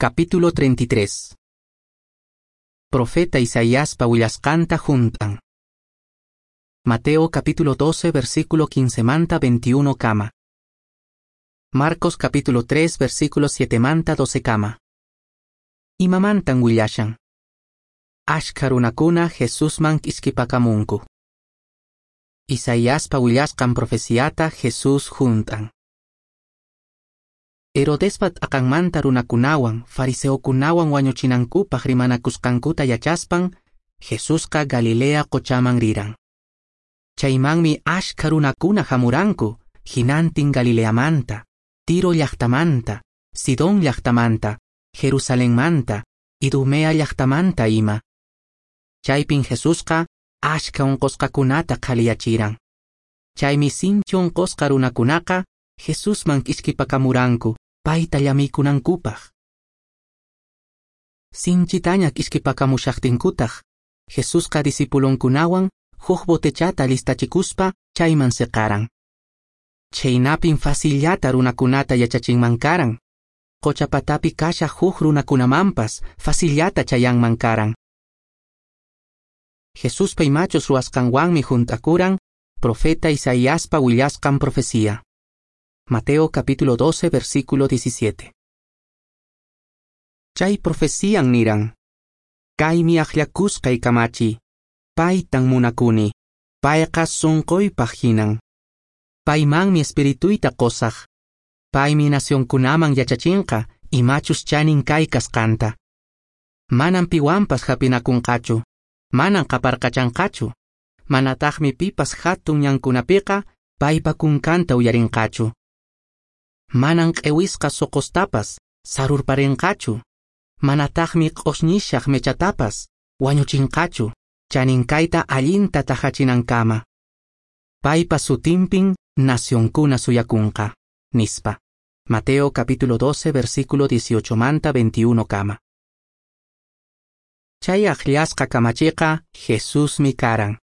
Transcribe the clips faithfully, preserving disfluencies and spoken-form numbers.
Capítulo treinta y tres. Profeta Isaiaspa willasqanta hunt'an. Mateo capítulo doce versículo quince manta veintiuno kama. Marcos capítulo tres versículo siete manta doce kama. Imamantan willashan. Ashkha runakuna Jesusman k'iskipakamunku. Isaiaspa willasqan profeciata Jesús hunt'an. Herodespa t'aqanmanta runakunawan, fariseokunawan wañuchinankupaq rimanakusqankuta yachaspan, Jesusqa Galilea qochaman riran. Chaymanmi ashkha runakuna hamuranku, hinantin Galileamanta, Tiro llaqtamanta, Sidón llaqtamanta, Jerusalenmanta, Idumea llaqtamanta ima. Chaypin Jesusqa ashkha unqusqakunata qhaliyachiran. Chaymi sinchi unqusqa runakunaqa Jesusman k'iskipakamuranku, payta llamiykunankupaq. Sinchitaña k'iskipakamushaqtinkutaq, Jesusqa discipulonkunawan huk botechata listachikuspa chayman seqaran. Chaynapin facillata runakunata yachachinman karan. Qochapatapi kashaq huk runakunamanpas facillata chayanman karan. Jesuspa imachus ruwasqanwanmi hunt'akuran profeta Isaiaspa willasqan profecía. Mateo capítulo doce versículo diecisiete. Chay profecían niran: Kaymi akllakusqay kamachi, paytan munakuni, payqa sunquypaq hinan. Paymanmi espirituyta qusaq, paymi nacionkunaman yachachinqa imachus chanin kay kasqanta. Manan piwanpas hapinakunqachu, manan qaparqachanqachu, manataqmi pipas hatun ñankunapiqa paypa kunkanta uyarinqachu. Manan q'ewisqa soqostapas sarurparinqachu, manataqmi q'osñishaq mechatapas wañuchinqachu, chaninkayta allinta tahachinankama. Paypa sutinpin nacionkuna suyakunqa, nispa. Mateo capítulo doce versículo dieciocho manta veintiuno kama. Chay akllasqa kamachiqa Jesusmi karan.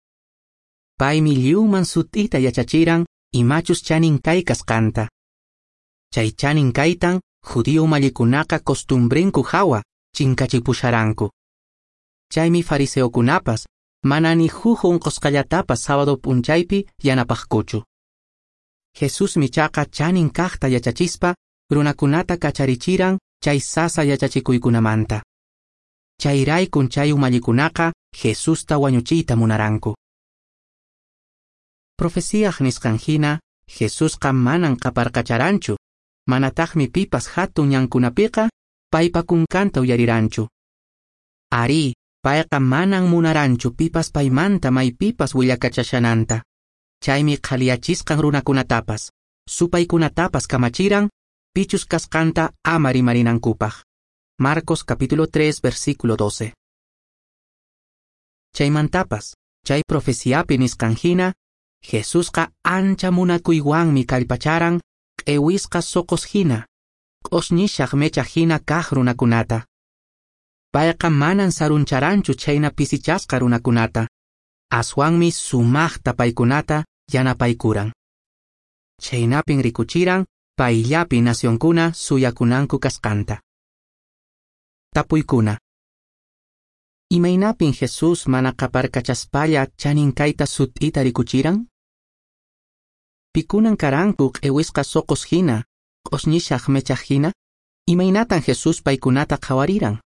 Paymi lliwman sut'ita yachachiran imachus chanin kay kasqanta. Chay chanin kaytan judío umallikunaqa costumbrenku hawa chinkachipusharanku. Chaymi fariseokunapas mana ni huk unqusqallatapas sábado p'unchaypi yanapaqkuchu. Jesusmi chaqa chanin kaqta yachachispa runakunata kacharichiran chay sasa yachachikuykunamanta. Chayraykun chay umallikunaqa Jesusta wañuchiyta munaranku. Profecíaq nisqan hina Jesusqa manan qaparqacharanchu, manataqmi pipas hatun ñankunapiqa paypa kunkanta uyariranchu. Arí, payqa manan munaranchu pipas paymanta maypipas willakachashananta. Chaymi qhaliyachisqan runakunatapas, supaykunatapas kamachiran, pichus kasqanta ama rimarinankupaq. Marcos capítulo tres versículo doce. Chaymantapas, chay profeciapi nisqan hina, Jesusqa ancha munakuywanmi kallpacharan q'ewisqa soqos hina, q'osñishaq mecha hina kaq runakunata. Payqa manan saruncharanchu chayna pisichasqa runakunata, aswanmi sumaqta paykunata yanapaykuran. Chaynapin rikuchiran payllapi nacionkuna suyakunanku kasqanta. Tapuykuna. Imaynapin Jesús mana qaparkachaspalla chanin kayta sut'ita rikuchiran? Pikunan karanku q'ewisqa soqos hina, q'osñishaq mechaq hina? Imaynatan Jesús paykunata qhawariran?